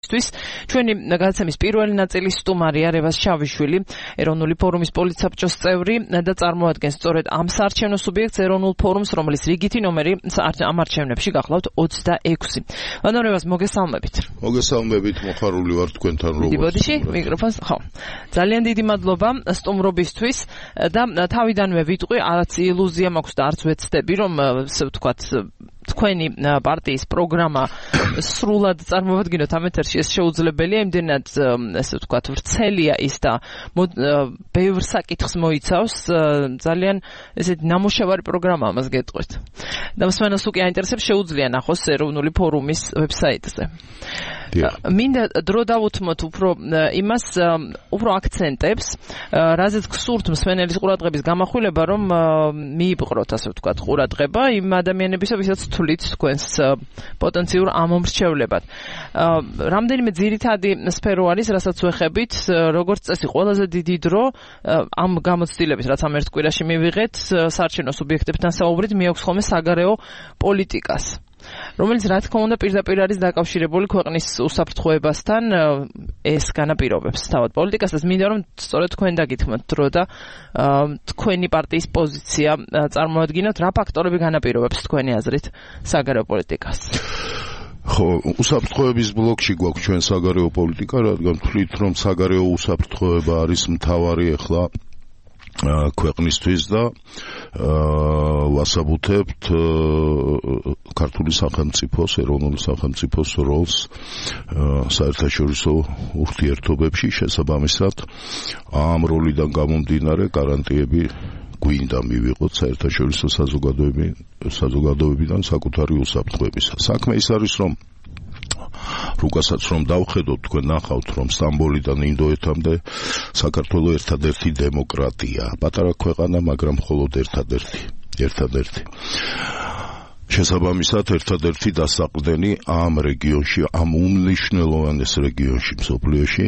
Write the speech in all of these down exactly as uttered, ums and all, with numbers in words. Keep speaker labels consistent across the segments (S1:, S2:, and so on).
S1: ჩვენი გადაცემის პირველი ნაწილის სტუმარია რევაზ შავიშვილი, ეროვნული ფორუმის პოლიტსაბჭოს წევრი და წარმოადგენს სწორედ ამ საარჩევნო სუბიექტს ეროვნულ ფორუმს, რომლის რიგითი ნომერი ამ არჩევნებში გახლავთ ოცდაექვსი. ანუ რევაზ, მოგესალმებით.
S2: მოგესალმებით, მოხარული ვარ თქვენთან
S1: როგორ. დიბოდიში, მიკროფონს, ხო. ძალიან დიდი მადლობა სტუმრობისთვის და თავიდანვე ვიტყვი, არც ილუზია მაქვს და არც ვეცდები, რომ ასე ვთქვათ თქვენი პარტიის პროგრამა სრულად წარმოვადგინოთ ამ ეთერში, ეს შეუძლებელია, იმდენად ასე ვთქვათ ვრცელია ის და ბევრ საკითხს მოიცავს, ძალიან ესეთი ნამუშევარი პროგრამა ამას გეტყვით. და მსმენელს უკვე აინტერესებს, შეუძლია ნახოს ეროვნული ფორუმის ვებსაიტზე. მინდა დრო დავუთმოთ უფრო იმას, უფრო აქცენტებს, რაზეც გსურთ მსმენელის ყურადღების გამახვილება, რომ მიიპყროთ, ასე ვთქვათ, ყურადღება იმ ადამიანებისა, ვისაც თვლით თქვენს პოტენციურ ამომრჩევლებად. რამდენიმე ძირითადი სფერო არის, რასაც ვეხებით, როგორც წესი, ყველაზე დიდი დრო ამ გამოცდილების, რაც ამ ერთ კვირაში მივიღეთ, საარჩევნო სუბიექტებთან საუბრით, მიაქვს ხოლმე საგარეო პოლიტიკას, რომელიც რა თქმა უნდა პირდაპირ არის დაკავშირებული ქვეყნის უსაფრთხოებასთან, ეს განაპირობებს თავად პოლიტიკასაც. მინდა რომ სწორედ თქვენ დაგითმოთ დრო და თქვენი პარტიის პოზიცია წარმოადგინოთ, რა ფაქტორები განაპირობებს თქვენი აზრით საგარეო პოლიტიკას.
S2: ხო, უსაფრთხოების ბლოკში გვაქვს ჩვენ საგარეო პოლიტიკა, რადგან ვთვლით, რომ საგარეო უსაფრთხოება არის მთავარი ახლა ქვეყნისთვის და ვასაბუთებთ ქართული სახელმწიფოს, ეროვნული სახელმწიფოს როლს საერთაშორისო ურთიერთობებში, შესაბამისად ამ როლიდან გამომდინარე გარანტიები გვინდა მივიღოთ საერთაშორისო საზოგადოებიდან საკუთარი უსაფრთხოებისა. საქმე ის არის, რომ რუკასაც რომ დავხედოთ, თქვენ ნახავთ, რომ სტამბოლიდან ინდოეთამდე საქართველო ერთადერთი დემოკრატია, პატარა ქვეყანა, მაგრამ მხოლოდ ერთადერთი, ერთადერთი. შესაბამისად, ერთადერთი დასაყრდენი ამ რეგიონში, ამ უმნიშვნელოვანეს რეგიონში, მსოფლიოში,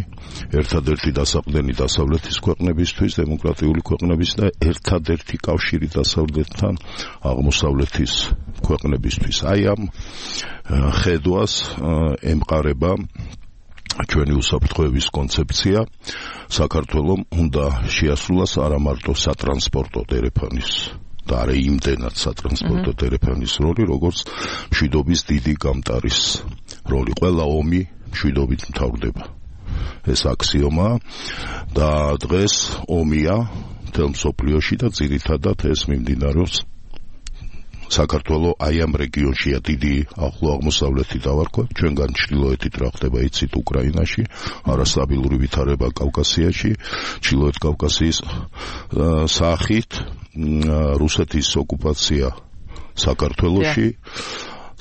S2: ერთადერთი დასაყრდენი დასავლეთის ქვეყნებისთვის, დემოკრატიული ქვეყნების და ერთადერთი კავშირი დასავლეთთან აღმოსავლეთის ქვეყნებისთვის. აი ამ ხედვას ემყარება ჩვენი უსაფრთხოების კონცეფცია. საქართველომ უნდა შეასრულოს არა მარტო სატრანსპორტო დერეფანის და არა იმდენად სატრანსპორტო დერეფანის როლი, როგორც მშვიდობის დიდი გამტარის როლი. ყველა ომი მშვიდობით მთავრდება. ეს აქსიომაა და დღეს ომია მთელ მსოფლიოში და ძირითადად ეს მიმდინარეობს საქართველო აი ამ რეგიონშია, დიდი ახლო აღმოსავლეთი დავარქვათ, ჩვენგან ჩრდილოეთით რა ხდება იცით უკრაინაში, არასტაბილური ვითარება კავკასიაში, ჩრდილოეთ კავკასიის სახით, რუსეთის ოკუპაცია საქართველოში,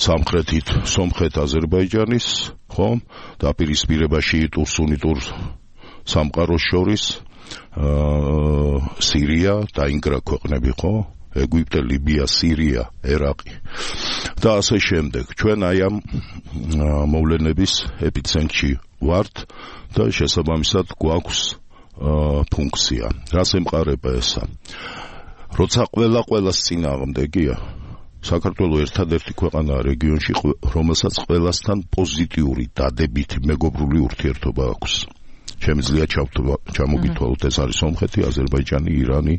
S2: სამხრეთით სომხეთ აზერბაიჯანის, ხომ, დაპირისპირება შიიტურ სუნიტურ სამყაროს შორის, სირია, დაინგრა ქვეყნები, ხო? ეგვიპტე, ლიბია, სირია, ერაყი და ასე შემდეგ. ჩვენ აი ამ მოვლენების ეპიცენტრში ვართ და შესაბამისად გვაქვს ფუნქცია. რას ემყარება ესა? როცა ყველა ყველას წინააღმდეგია, საქართველო ერთადერთი ქვეყანაა რეგიონში, რომელსაც ყველასთან პოზიტიური დადებითი მეგობრული ურთიერთობა აქვს. შემიძლია ჩამოგითვალოთ, ეს არის სომხეთი, აზერბაიჯანი, ირანი,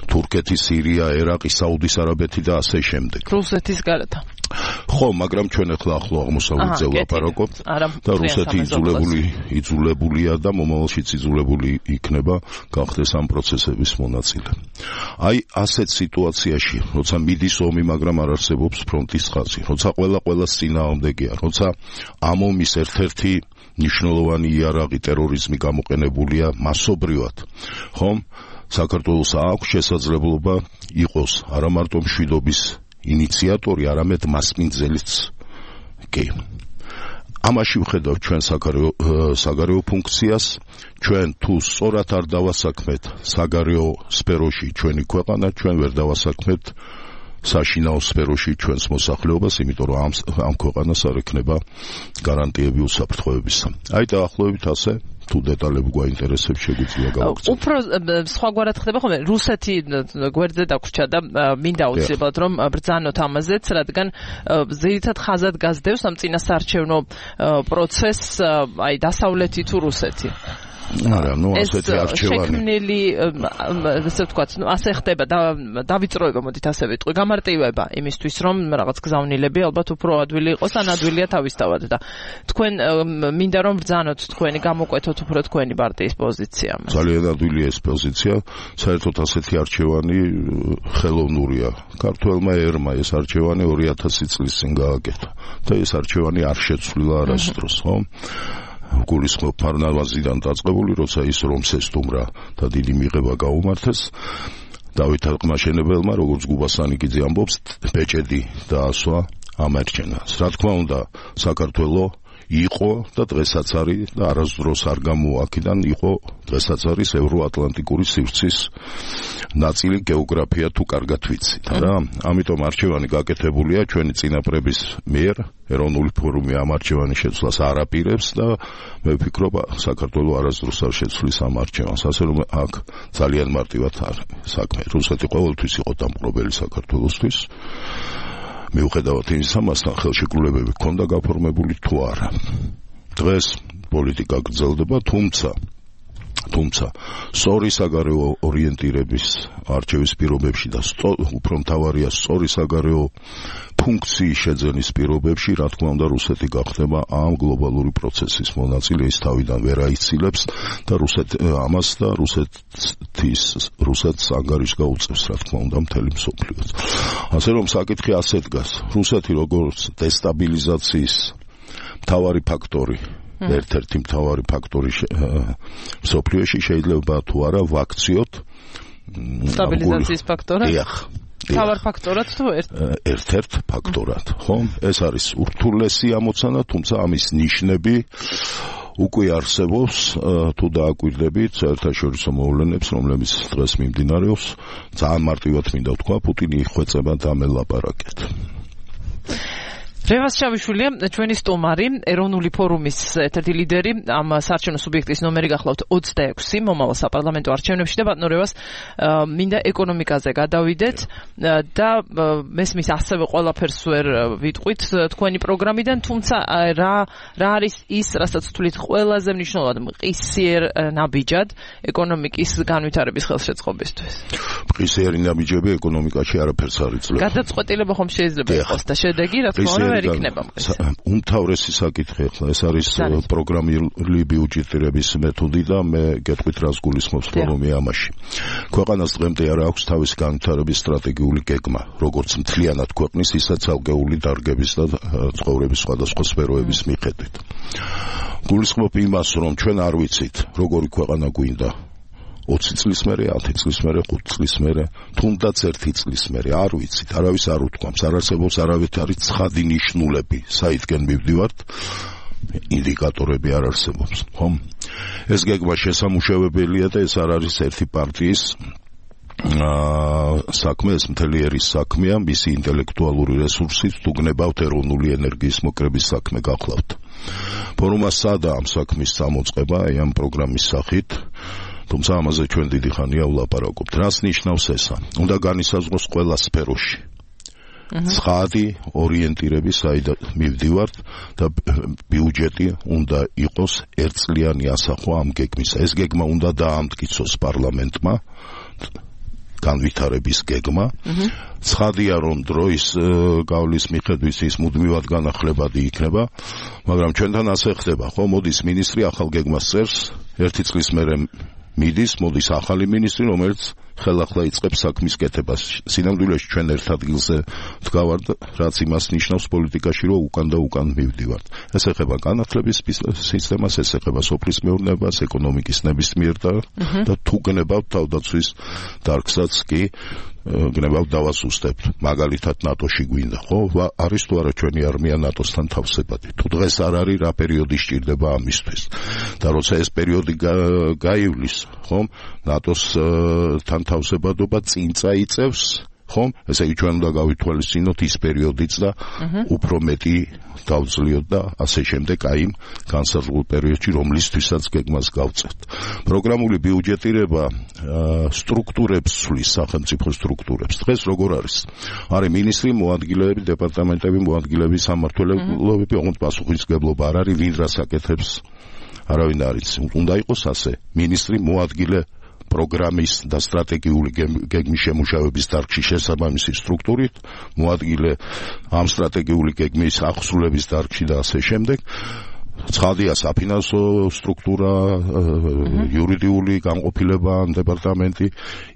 S2: თურქეთი, სირია, ერაყი, საუდის არაბეთი და ასე შემდეგ.
S1: რუსეთის გარდა.
S2: ხო, მაგრამ ჩვენ ახლა ახლო აღმოსავლეთზე ვლაპარაკობთ და რუსეთი იძულებული იძულებულია და მომავალშიც იძულებული იქნება გახდეს ამ პროცესების მონაწილე. აი ასეთ სიტუაციაში, როცა მიდის ომი, მაგრამ არ არსებობს ფრონტის ხაზი, როცა ყველა ყველას წინააღმდეგია, როცა ამ ომის ერთ-ერთი ნიშნულოვანი იარაღი ტერორიზმი გამოყენებულია მასობრივად, ხომ? საქართველოს აქვს შესაძლებლობა იყოს არა მარტო მშვიდობის ინიციატორი, არამედ მასპინძელიც კი. ამაში ვხედავ ჩვენ საგარეო ფუნქციას, ჩვენ თუ სწორად არ დავასაქმეთ საგარეო სფეროში ჩვენი ქვეყანა, ჩვენ ვერ დავასაქმეთ საშინაო სფეროში ჩვენს მოსახლეობას, იმიტომ რომ ამ ამ ქვეყანას არ ექნება გარანტიები უსაფრთხოებისა. აი დაახლოებით ასე თუ დეტალები გვაინტერესებს, შეგვიძლია გავაკეთოთ.
S1: უფრო სხვაგვარად ხდება ხოლმე, რუსეთი გვერდზე დაგვრჩა და მინდა აუცილებლად რომ ბრძანოთ ამაზეც, რადგან ძირითად ხაზად გასდევს ამ წინასაარჩევნო პროცესს აი დასავლეთი თუ რუსეთი.
S2: არა, ნუ ასეთი არჩევანი.
S1: შექმნილი, ასე ვთქვათ, ნუ ასე ხდება და დავიწროება, მოდით ასე ვიტყვი, გამარტივება იმისთვის, რომ რაღაც გზავნილები ალბათ უფრო ადვილი იყოს, ან ადვილია თავისთავად და თქვენ მინდა რომ ბრძანოთ თქვენი, გამოკვეთოთ უფრო თქვენი პარტიის პოზიცია.
S2: ძალიან ადვილია ეს პოზიცია, საერთოდ ასეთი არჩევანი ხელოვნურია. ქართველმა ერმა ეს არჩევანი ორი ათასი წლის წინ გააკეთა და ეს არჩევანი არ შეცვლილა არასდროს, ხო? გულისხმობ ფარნავაზიდან დაწყებული, როცა ის რომს ესტუმრა და დიდი მიღება გაუმართეს დავით ყმაშენებელმა, როგორც გუბასანიკიძე ამბობს, ბეჭედი დაასვა ამერჩენას. რა თქმა უნდა, საქართველოს იყო და დღესაც არის და არასდროს არ გამოაკიდან იყო დღესაც არის ევროატლანტიკური სივრცის ნაწილი გეოგრაფია თუ კარგად ვიცით რა. ამიტომ არჩევანი გაკეთებულია ჩვენი წინაპრების მიერ, ეროვნული ფორუმი ამ არჩევანის შეცვლას არ აპირებს და მე ვფიქრობ საქართველოს არასდროს არ შეცვლის ამ არჩევანს, ასე რომ აქ ძალიან მარტივად არის საქმე. რუსეთი ყოველთვის იყო დამპყრობელი საქართველოსთვის. მიუხედავად იმისა, მასთან ხელშეკრულებები ჰქონდა გაფორმებული თუ არა. დღეს პოლიტიკა გრძელდება, თუმცა თუმცა სწორი საგარეო ორიენტირების არჩევის პირობებში და უფრო მთავარია სწორი საგარეო ფუნქციის შეძენის პირობებში, რა თქმა უნდა, რუსეთი გახდება ამ გლობალური პროცესის მონაწილე, ის თავიდან ვერ აიცილებს და რუსეთი ამას და რუსეთის რუსეთს ანგარიშს გაუწევს, რა თქმა უნდა, მთელი მსოფლიოს. ასე რომ საკითხი ასე დგას. რუსეთი როგორც დესტაბილიზაციის მთავარი ფაქტორი, ერთ-ერთი მთავარი ფაქტორი მსოფლიოში შეიძლება თუ არა ვაქციოთ
S1: სტაბილიზაციის ფაქტორად?
S2: დიახ.
S1: მთავარ ფაქტორად თუ ერთ?
S2: ერთ-ერთ ფაქტორად, ხო? ეს არის ურთულესი ამოცანა, თუმცა ამის ნიშნები უკვე არსებობს, თუ დააკვირდებით საერთაშორისო მოვლენებს, რომლებიც დღეს მიმდინარეობს, ძალიან მარტივად მინდა ვთქვა, პუტინი იხვეწება და მელაპარაკეთ.
S1: რევას ჩავიშვილია ჩვენი სტუმარი, ეროვნული ფორუმის ერთ-ერთი ლიდერი, ამ საარჩევნო სუბიექტის ნომერი გახლავთ ოცდაექვსი მომავალ საპარლამენტო არჩევნებში და ბატონო რევას მინდა ეკონომიკაზე გადავიდეთ და მესმის ასევე ყველაფერს ვერ ვიტყვით თქვენი პროგრამიდან, თუმცა რა რა არის ის, რასაც თვლით ყველაზე მნიშვნელოვად მყისიერ ნაბიჯად ეკონომიკის განვითარების ხელშეწყობისთვის?
S2: მყისიერი ნაბიჯები ეკონომიკაში არაფერს არ იძლევა.
S1: გადაწყვეტილება ხომ შეიძლება იყოს და შედეგი რა თქმა უნდა
S2: უმთავრესი საკითხი ახლა ეს არის პროგრამული ბიუჯეტირების მეთოდი და მე გეტყვით რას გულისხმობს ფორუმი ამაში. ქვეყანას დღემდე არ აქვს თავისი განვითარების სტრატეგიული გეგმა, როგორც მთლიანად ქვეყნის, ისე ცალკეული დარგების და ცხოვრების სხვადასხვა სფეროების მიხედვით. გულისხმობ იმას, რომ ჩვენ არ ვიცით, როგორი ქვეყანა გვინდა ოცი წლის მერე, ათი წლის მერე, ხუთი წლის მერე, თუნდაც ერთი წლის მერე, არ ვიცით, არავის არ უთქვამს, არ არსებობს არავითარი ცხადი ნიშნულები, საიდგენ მივდივართ, ინდიკატორები არ არსებობს, ხო? ეს გეგმა შესამუშავებელია და ეს არ არის ერთი პარტიის საქმე, ეს მთელი ერის საქმეა, მისი ინტელექტუალური რესურსით თუ გნებავთ ეროვნული ენერგიის მოკრების საქმე გახლავთ. ფორუმმა სცადა ამ საქმის წამოწყება, აი ამ პროგრამის სახით, თუმცა ამაზე ჩვენ დიდი ხანია ვლაპარაკობთ. რას ნიშნავს ესა? უნდა განისაზღვროს ყველა სფეროში. ცხადი ორიენტირები, საიდანაც მივდივართ და ბიუჯეტი უნდა იყოს ერთწლიანი ასახვა ამ გეგმისა. ეს გეგმა უნდა დაამტკიცოს პარლამენტმა, განვითარების გეგმა. ცხადია, რომ დროის გავლის მიხედვით ის მუდმივად განახლებადი იქნება, მაგრამ ჩვენთან ასე ხდება, ხო? მოდის მინისტრი ახალ გეგმას წერს, ერთი წლის მერე მიდის, მოდის ახალი მინისტრი, რომელიც ხელახლა იწყებს საქმის კეთებას. სინამდვილეში ჩვენ ერთ ადგილზე ვდგავართ, რაც იმას ნიშნავს პოლიტიკაში, რომ უკან და უკან მივდივართ. ეს ეხება განათლების სისტემას, ეს ეხება სოფლის მეურნეობას, ეკონომიკის ნებისმიერ და თუ გნებავთ თავდაცვის დარგსაც კი გნებავთ დავასუსტებთ. მაგალითად ნატოში გვინდა, ხო? არის თუ არა ჩვენი არმია ნატოსთან თავსებადი. თუ დღეს არ არის, რა პერიოდი სჭირდება ამისთვის. და როცა ეს პერიოდი გაივლის, ხო? ნატოსთან თავსებადობა წინ წაიწევს ხომ? ესე იგი ჩვენ უნდა გავითვალისწინოთ ის პერიოდიც და უფრო მეტი დავძლიოთ და ასე შემდეგ აი იმ განსაზღვრულ პერიოდში რომლისთვისაც გეგმას გავწევთ. პროგრამული ბიუჯეტირება სტრუქტურებს ცვლის, სახელმწიფო სტრუქტურებს. დღეს როგორ არის? არის მინისტრი, მოადგილეები, დეპარტამენტები, მოადგილეები, სამმართველოები, ოღონდ პასუხისმგებლობა არ არის, ვინ რას აკეთებს, არავინ არ იცის. უნდა იყოს ასე, მინისტრი, მოადგილე პროგრამის და სტრატეგიული გეგმის შემუშავების დარგში შესაბამისი სტრუქტურით, მოადგილე ამ სტრატეგიული გეგმის აღსრულების დარგში და ასე შემდეგ. ცხადია საფინანსო სტრუქტურა, იურიდიული განყოფილება, დეპარტამენტი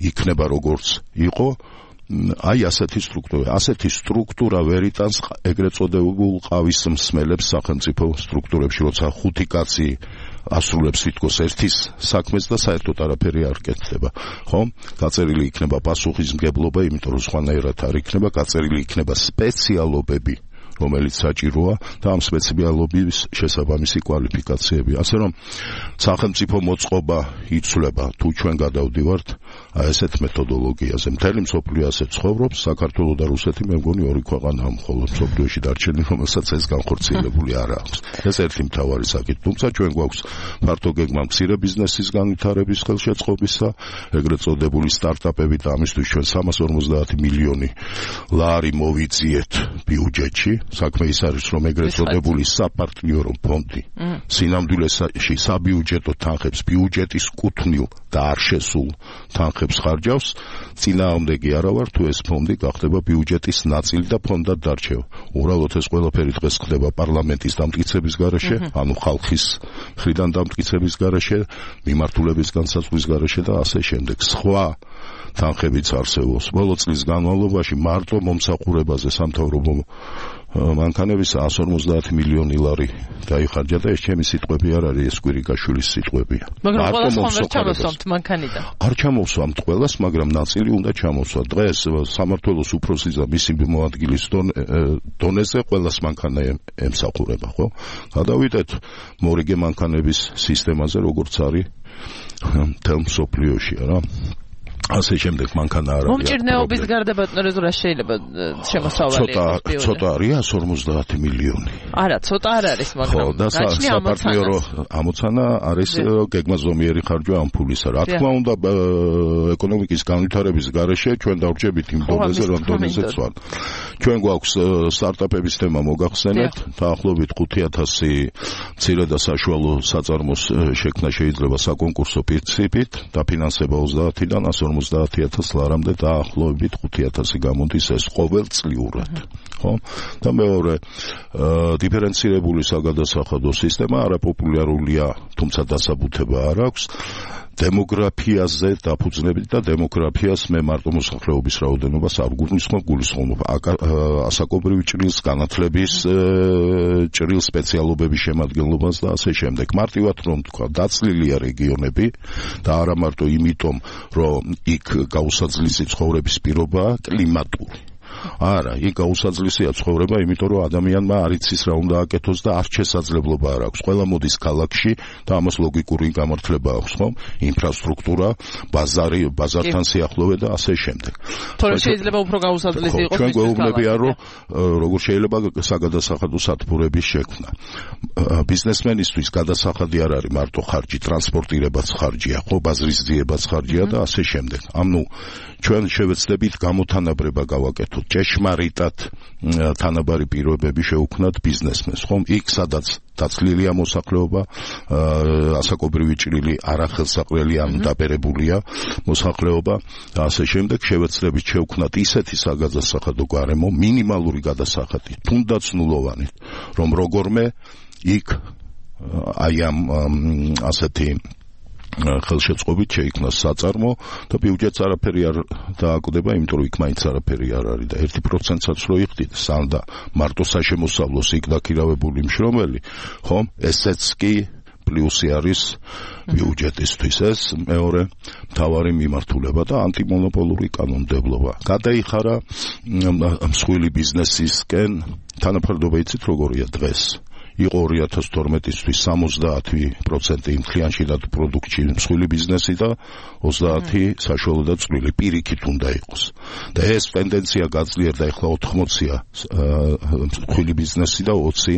S2: იქნება როგორც იყო. აი ასეთი სტრუქტურა, ასეთი სტრუქტურა ვერ იტანს ეგრეთ წოდებულ ყავის მსმელებს სახელმწიფო სტრუქტურებში, როცა ხუთი კაცი ასრულებს თითქოს ერთის საქმეს და საერთოდ არაფერი არ კეთდება, ხო? გაწერილი იქნება პასუხისმგებლობა, იმიტომ რომ სხვანაირად არ იქნება, გაწერილი იქნება სპეციალობები, რომელიც საჭიროა და ამ სპეციალობის შესაბამისი კვალიფიკაციები. ასე რომ სახელმწიფო მოწყობა იცვლება თუ ჩვენ გადავდივართ აი ესეთ მეთოდოლოგიაზე. მთელი მსოფლიო ასე ცხოვრობს, საქართველო და რუსეთი მე მგონი ორი ქვეყანაა მხოლოდ მსოფლიოში დარჩენილი, რომელსაც ეს განხორციელებული არ აქვს. ეს ერთი მთავარი საკითხი. თუმცა ჩვენ გვაქვს ფართო გეგმა მცირე ბიზნესის განვითარების ხელშეწყობისა, ეგრეთ წოდებული სტარტაპები და ამისთვის ჩვენ სამას ორმოცდაათი მილიონი ლარი მოვიძიეთ ბიუჯეტში. საქმე ის არის, რომ ეგრეთ წოდებული საპარტნიორო ფონდი სინამდვილეში საბიუჯეტო თანხებს ბიუჯეტის კუთვნილ და არ შესულ თანხებს ხარჯავს, წინააღმდეგი არა ვარ თუ ეს ფონდი გახდება ბიუჯეტის ნაწილი და ფონდად დარჩევა. უბრალოდ ეს ყველაფერი დღეს ხდება პარლამენტის დამტკიცების გარეშე, ანუ ხალხის მხრიდან დამტკიცების გარეშე, მიმართულების განსაზღვრის გარეშე და ასე შემდეგ. სხვა თანხებიც არსებობს. ბოლო წლის განმავლობაში მარტო მომსახურებაზე სამთავრობო მანქანების εκατს ორმოცდაათი მილიონი ლარი დაიხარჯა და ეს ჩემი სიტყვები არ არის, ეს კვირიკაშვილის სიტყვებია.
S1: მაგრამ ყველას ხომ ვერ ჩამოსვამთ მანქანიდან?
S2: არ ჩამოსვამთ ყველას, მაგრამ ნაწილი უნდა ჩამოსვა. დღეს სამმართველოს უფროსის და მისი მოადგილის დონეზე ყველას მანქანა ემსახურება, ხო? გადავიდეთ მორიგე მანქანების სისტემაზე, როგორც არის მთელ მსოფლიოში, რა. ასე შემდეგ მანქანა არ არის.
S1: მომჭირნეობის გარდა ბატონო რეზურა შეიძლება შემოსავალი
S2: იყოს. ცოტა არის εκατს ორმოცდაათი მილიონი.
S1: არა, ცოტა არ არის, მაგრამ
S2: ხო, და საპარტნიორო ამოცანა არის გეგმაზომიერი ხარჯვა ამ ფულისა. რა თქმა უნდა, ეკონომიკის განვითარების გარეშე ჩვენ დავრჩებით იმ დონეზე, რომ დონეზეც ვარ. ჩვენ გვაქვს სტარტაპების თემა მოგახსენეთ, დაახლოებით ხუთი ათასი მცირე და საშუალო საწარმოს შექმნა შეიძლება საკონკურსო პრინციპით, დაფინანსება ოცდაათიდან εκατს ორმოცდაათი ათასი ლარამდე დაახლოებით ხუთი ათასი გამოდის ეს ყოველწლიურად, ხო? და მეორე, დიფერენცირებული საგადასახადო სისტემა არაპოპულარულია, თუმცა დასაბუთება არ აქვს. დემოგრაფიაზე დაფუძნებით და დემოგრაფიას მე მარტო მოსახლეობის რაოდენობას არ გულისხმობ, გულისხმობ ასაკობრივი ჭრილს, განათლების ჭრილ სპეციალობების შემადგენლობას და ასე შემდეგ. მარტივად რომ თქვა, დაწლილია რეგიონები და არა მარტო იმიტომ, რომ იქ გაუსაძლისი ცხოვრების პირობაა კლიმატური. არა, იქ გაუსაძლისია ცხოვრება, იმიტომ რომ ადამიანმა არ იცის რა უნდა აკეთოს და არ შესაძლებლობა არ აქვს. ყველა მოდის ქალაქში და ამას ლოგიკური გამართლება აქვს, ხო? ინფრასტრუქტურა, ბაზარი, ბაზართან სიახლოვე და ასე შემდეგ.
S1: თორე შეიძლება უფრო გაუსაძლისი იყოს.
S2: ჩვენ გვეუბნებიან, რომ როგორ შეიძლება საგადასახადო სათბურების შექმნა. ბიზნესმენისთვის გადასახადი არ არის მარტო ხარჯი, ტრანსპორტირებაც ხარჯია, ხო, ბაზრის ძიებაც ხარჯია და ასე შემდეგ. ანუ ჩვენ შევეცდებით გამოთანაბრება გავაკეთოთ. ჭეშმარიტად თანაბარი პირობები შევქმნათ ბიზნესმენს, ხომ? იქ სადაც დაცლილია მოსახლეობა, ასაკობრივი ჭრილი არახელსაყრელი ან დაბერებულია მოსახლეობა და ასე შემდეგ შევეცდებით შევქმნათ ისეთი საგადასახადო გარემო, მინიმალური გადასახადი, თუნდაც ნულოვანი, რომ როგორმე იქ აი ამ ასეთი ხელშეწყობით შეიქმნას საწარმო და ბიუჯეტს არაფერი არ დააკვდება, იმიტომ რომ იქ მაინც არაფერი არ არის და ერთი პროცენტსაც რო იხდით, სამ და მარტო საშემოსავლოს იქ დაქირავებული მშრომელი, ხომ? ესეც კი პლუსი არის ბიუჯეტისთვის. ეს მეორე მთავარი მიმართულება და ანტიმონოპოლური კანონმდებლობა. გადაიხარა მსხვილი ბიზნესისკენ თანაფარდობა, იცით როგორია დღეს? იყო ორი ათას თორმეტისთვის სამოცდაათი პროცენტი იმ კლიანტში და პროდუქტში მსხვილი ბიზნესი და ოცდაათი საშუალო და წვრილი პირიქით უნდა იყოს. და ეს ტენდენცია გაძლიერდა ეხლა ოთხმოცია მსხვილი ბიზნესი და ოცი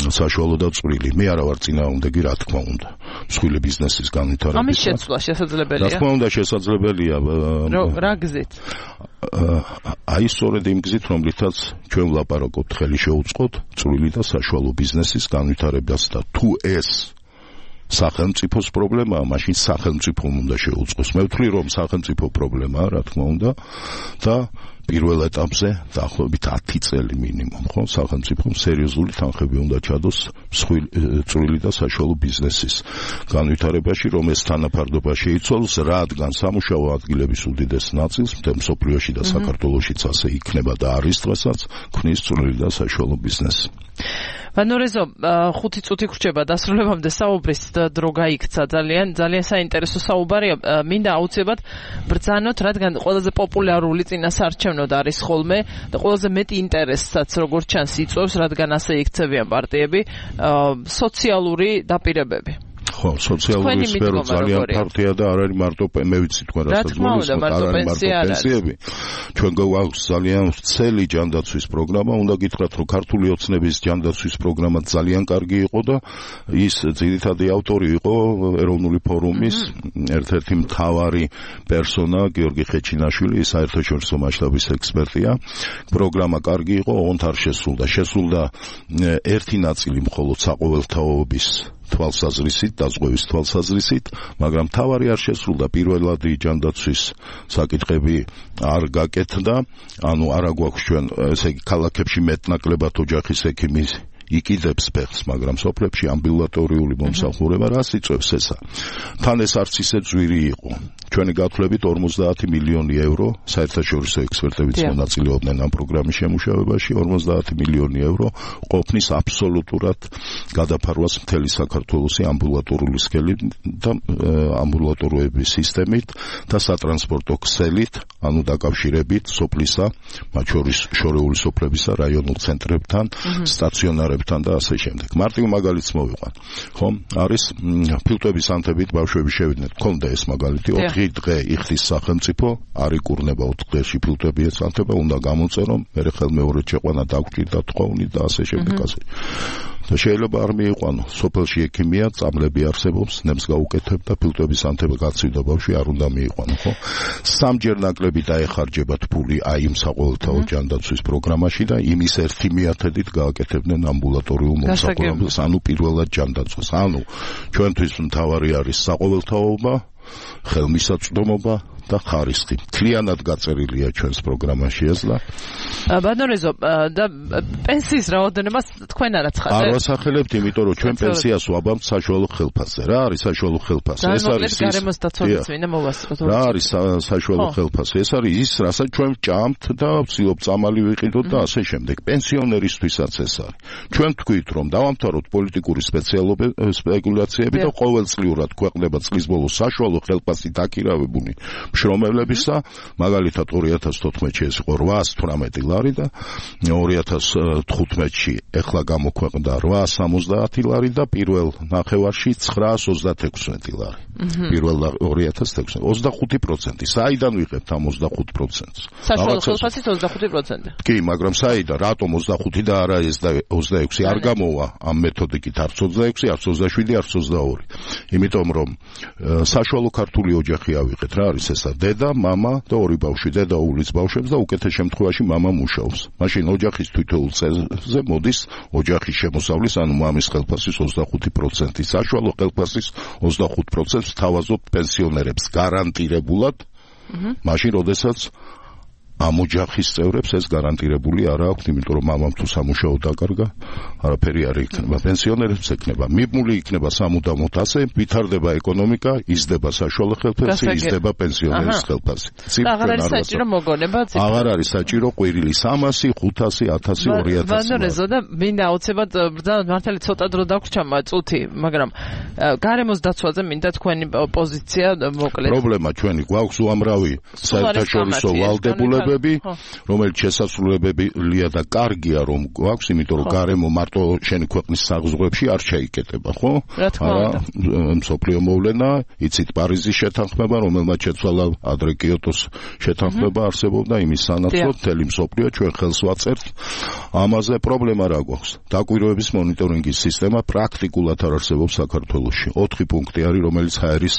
S2: საშუალო და წვრილი. მე არა ვარ წინააღმდეგი, რა თქმა უნდა. მსხვილი ბიზნესის განვითარება.
S1: ამის შეცვლა შესაძლებელია.
S2: რა თქმა უნდა შესაძლებელია.
S1: რა გზით?
S2: აი სწორედ იმ გზით, რომლითაც ჩვენ ვლაპარაკობთ, ხელი შეუწყოთ წვრილი და საშუალო ბიზნესის განვითარებას და თუ ეს სახელმწიფოს პრობლემაა, მაშინ სახელმწიფომ უნდა შეუწყოს. მე ვთვლი, რომ სახელმწიფო პრობლემაა, რა თქმა უნდა, და პირველ ეტაპზე დაახლოებით ათი წელი მინიმუმ, ხო, სახელმწიფომ სერიოზული თანხები უნდა ჩადოს წვრილი და საშუალო ბიზნესის განვითარებაში, რომ ეს თანაფარდობა შეიცვალოს, რადგან სამუშაო ადგილების უდიდეს ნაწილს მთელ მსოფლიოში და საქართველოშიც ასე იქნება და არის დღესაც ქმნის წვრილი და საშუალო ბიზნესი.
S1: ვანორეზო, ხუთი წუთი გრჩება დასრულებამდე საუბრის დრო გაიქცა, ძალიან ძალიან საინტერესო საუბარია. მინდა აუცილებლად ბრძანოთ, რადგან ყველაზე პოპულარული წინასაარჩევნოდ არის ხოლმე და ყველაზე მეტი ინტერესსაც როგორც ჩანს იწვევს, რადგან ასე იქცევიან პარტიები, სოციალური დაპირებები.
S2: ხო, სოციალური სფერო ძალიან ფართია და არ არის მარტო მე ვიცი თქვენ რასაც
S1: გულისხმობთ, არ არის მარტო
S2: პენსიები. ჩვენ გვაქვს ძალიან ვრცელი ჯანდაცვის პროგრამა, უნდა გითხრათ, რომ ქართული ოცნების ჯანდაცვის პროგრამა ძალიან კარგი იყო და ის ძირითადი ავტორი იყო ეროვნული ფორუმის ერთ-ერთი მთავარი პერსონა გიორგი ხეჩინაშვილი, ის საერთაშორისო მასშტაბის ექსპერტია. პროგრამა კარგი იყო, ოღონდ არ შესრულდა. შესრულდა ერთი ნაწილი მხოლოდ საყოველთაობის თვალსაზრისით, დაზღვევის თვალსაზრისით, მაგრამ თავარი არ შესრულდა. პირველადი ჯანდაცვის საკითხები არ გაკეთდა, ანუ არა გვაქვს ჩვენ, ესე იგი, ქალაქებში მეტნაკლებად ოჯახის ექიმის იყიდებს ფეხს, მაგრამ სოფლებში ამბულატორიული მომსახურება რას იწვევს ესა? თან ეს არც ისე ძვირი იყო. ჩვენი გათვლებით ორმოცდაათი მილიონი ევრო, საერთაშორისო ექსპერტებიც მონაწილეობდნენ ამ პროგრამის შემუშავებაში, ორმოცდაათი მილიონი ევრო ყოფნის აბსოლუტურად გადაფარვას მთელი საქართველოსი ამბულატორული სქელით და ამბულატოროების სისტემით და სატრანსპორტო ქსელით, ანუ დაკავშირებით სოფლისა, მათ შორის შორეული სოფლებისა, რაიონულ ცენტრებთან, სტაციონარებთან და ასე შემდეგ. მარტივ მაგალითს მოვიყვან. ხო, არის ფილტვების ანთებით ბავშვები შევიდნენ. გქონდა ეს მაგალითი, ოთხი დღე იხდის სახელმწიფო, არ იკურნება ოთხ დღეში ფილტვები ეცანთება, უნდა გამოწერო, მერე ხელმეორედ შეყვანა დაგჭირდა თხოვნით და ასე შემდეგ ასე. და შეიძლება არ მიიყვანო, სოფელში ექიმია, წამლები არსებობს, ნემს გაუკეთებ და ფილტვების ანთება გაცივდა ბავშვი, არ უნდა მიიყვანო, ხო? სამჯერ ნაკლები დაეხარჯებათ ფული აი იმ საყოველთაო ჯანდაცვის პროგრამაში და იმის ერთი მიათედით გააკეთებდნენ ამბულატორიულ მომსახურებას, ანუ პირველად ჯანდაცვას. ანუ ჩვენთვის მთავარი არის საყოველთაობა, ხელმისაწვდომობა და ხარისხი. მთლიანად გაწერილია ჩვენს პროგრამაში ეს და
S1: ბანორეზო და პენსიის რაოდენობას თქვენ არ აცხადეთ?
S2: არ ვასახელებთ, იმიტომ რომ ჩვენ პენსიას ვაბამთ საშუალო ხელფასზე. რა არის საშუალო ხელფასი?
S1: ეს არის ის გარემოს დაცვაც მინდა მოვასწროთ.
S2: რა არის საშუალო ხელფასი? ეს არის ის, რასაც ჩვენ ვჭამთ და ვცდილობ წამალი ვიყიდოთ და ასე შემდეგ. პენსიონერისთვისაც ეს არის. ჩვენ თქვით, რომ დავამთავროთ პოლიტიკური სპეკულაციები და ყოველწლიურად ქვეყნება წლის ბოლოს საშუალო ხელფასი დაქირავებული მშრომელებისა, მაგალითად ორი ათას თოთხმეტში ეს იყო რვაას თვრამეტი ლარი და ორი ათას თხუთმეტში ეხლა გამოქვეყნდა რვაას სამოცდაათი ლარი და პირველ ნახევარში ცხრაას ოცდათექვსმეტი ლარი. პირველ ორი ათას თექვსმეტი, ოცდახუთი პროცენტი. საიდან ვიღებთ ამ ოცდახუთ პროცენტს?
S1: საშუალო ხელფასით ოცდახუთი პროცენტი.
S2: კი, მაგრამ საიდან? რატომ ოცდახუთი და არა ეს და ოცდაექვსი? არ გამოვა ამ მეთოდიკით არც ოცდაექვსი, არც ოცდაშვიდი, არც ოცდაორი. იმიტომ რომ საშუალო ქართული ოჯახი ავიღეთ, რა არის ესა? დედა, მამა და ორი ბავშვი, დედა უვლის ბავშვებს და უკეთეს შემთხვევაში მამა მუშაობს. მაშინ ოჯახის თითოეულ წელზე მოდის ოჯახის შემოსავლის, ანუ მამის ხელფასის ოცდახუთი პროცენტი, საშუალო ხელფასის ოცდახუთ პროცენტს თავაზობთ პენსიონერებს გარანტირებულად, მაშინ როდესაც ამ ოჯახის წევრებს ეს გარანტირებული არ აქვს, იმიტომ რომ მამამ თუ სამუშაო დაკარგა, არაფერი არ იქნება. პენსიონერებს ექნება, მიბმული იქნება სამუდამოდ ასე, ვითარდება ეკონომიკა, იზრდება საშუალო ხელფასი, იზრდება პენსიონერის ხელფასი.
S1: აღარ არის საჭირო მოგონება,
S2: აღარ არის საჭირო ყვირილი სამასი, ხუთასი, ათასი, ორი ათასი.
S1: ვანორეზო და მინდა აუცილებლად ბრძანოთ, მართალი ცოტა დრო დაგვრჩა წუთი, მაგრამ გარემოს დაცვაზე მინდა თქვენი პოზიცია მოკლედ.
S2: პრობლემა ჩვენი გვაქვს უამრავი საერთაშორისო ვალდებულება ღირებულებები, რომელიც შესაძლებელია და კარგია რომ გვაქვს, იმიტომ რომ გარემო მარტო შენი ქვეყნის საზღვრებში არ შეიკეტება, ხო? არა, მსოფლიო მოვლენა, იცით პარიზის შეთანხმება, რომელმაც შეცვალა ადრე კიოტოს შეთანხმება არსებობდა იმის სანაცვლოდ, მთელი მსოფლიო ჩვენ ხელს ვაწერთ. ამაზე პრობლემა რა გვაქვს? დაკვირვების მონიტორინგის სისტემა პრაქტიკულად არ არსებობს საქართველოში. ოთხი პუნქტი არის, რომელიც ჰაერის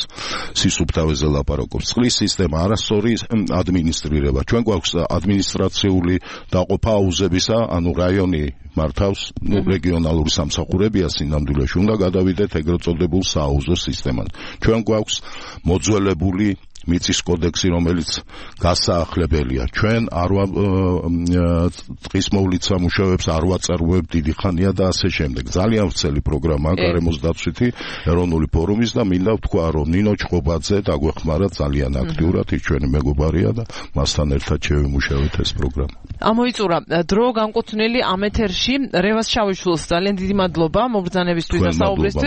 S2: სისუფთავეზე ლაპარაკობს. წყლის სისტემა არასწორი ადმინისტრირება. ჩვენ გვაქვს ადმინისტრაციული დაყოფა აუზებისა, ანუ რაიონი მართავს, ნუ რეგიონალური სამსახურებია სინამდვილეში, უნდა გადავიდეთ ეგრეთ წოდებულ სააუზო სისტემად. ჩვენ გვაქვს მოძველებული მიწის კოდექსი, რომელიც გასაახლებელია. ჩვენ არ ტყის მოვლით სამუშაოებს არ ვაწარმოებთ დიდი ხანია და ასე შემდეგ. ძალიან ვრცელი პროგრამაა გარემოს დაცვითი ეროვნული ფორუმის და მინდა ვთქვა, რომ ნინო ჩხობაძე დაგვეხმარა ძალიან აქტიურად, ის ჩვენი მეგობარია და მასთან ერთად შევიმუშავეთ ეს პროგრამა.
S1: ამოიწურა დრო განკუთვნილი ამ ეთერში. რევას შავიშვილს ძალიან დიდი მადლობა მობრძანებისთვის და საუბრისთვის.